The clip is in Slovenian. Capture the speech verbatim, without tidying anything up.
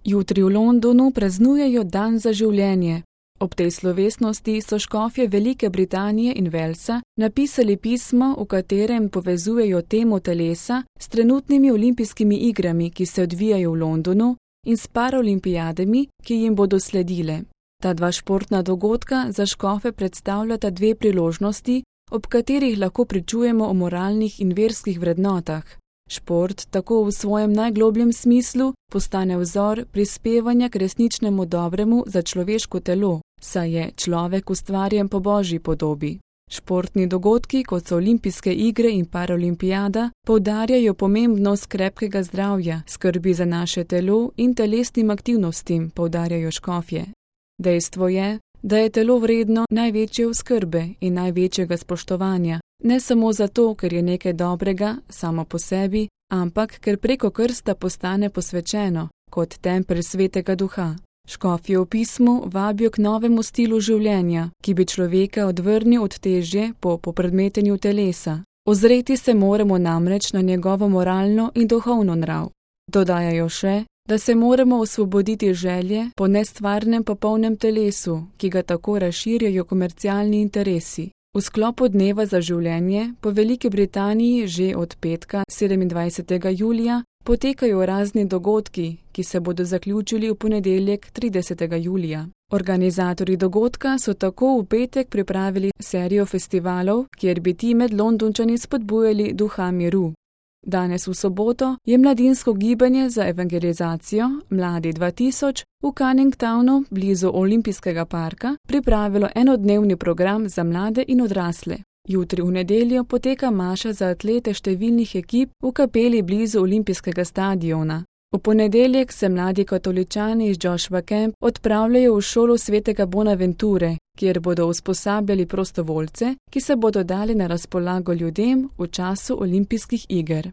Jutri v Londonu praznujejo Dan za življenje. Ob tej slovesnosti so škofje Velike Britanije in Walesa napisali pismo, v katerem povezujejo temo telesa s trenutnimi olimpijskimi igrami, ki se odvijajo v Londonu, in s paraolimpijadami, ki jim bodo sledile. Ta dva športna dogodka za škofe predstavljata dve priložnosti, ob katerih lahko pričujemo o moralnih in verskih vrednotah. Šport tako v svojem najglobljem smislu postane vzor prispevanja k resničnemu dobremu za človeško telo, saj je človek ustvarjen po Božji podobi. Športni dogodki, kot so olimpijske igre in paraolimpijada, poudarjajo pomembnost krepkega zdravja, skrbi za naše telo in telesnim aktivnostim, poudarjajo škofje. Dejstvo je, da je telo vredno največje oskrbe in največjega spoštovanja, ne samo zato, ker je nekaj dobrega samo po sebi, ampak ker preko krsta postane posvečeno, kot tempelj svetega duha. Škofje v pismu vabijo k novemu stilu življenja, ki bi človeka odvrnil od težje po popredmetenju telesa. Ozreti se moramo namreč na njegovo moralno in duhovno nrav. Dodajajo še, da se moramo osvoboditi želje po nestvarnem popolnem telesu, ki ga tako razširjajo komercialni interesi. V sklopu Dneva za življenje po Veliki Britaniji že od petka sedemindvajsetega julija potekajo razni dogodki, ki se bodo zaključili v ponedeljek tridesetega julija. Organizatorji dogodka so tako v petek pripravili serijo festivalov, kjer bi ti med Londončani spodbujali duha miru. Danes v soboto je mladinsko gibanje za evangelizacijo Mladi dva tisoč v Canning Townu blizu Olimpijskega parka pripravilo enodnevni program za mlade in odrasle. Jutri v nedeljo poteka maša za atlete številnih ekip v kapeli blizu Olimpijskega stadiona. V ponedeljek se mladi katoličani iz Joshua Camp odpravljajo v šolo svetega Bonaventure, kjer bodo usposabljali prostovoljce, ki se bodo dali na razpolago ljudem v času olimpijskih iger.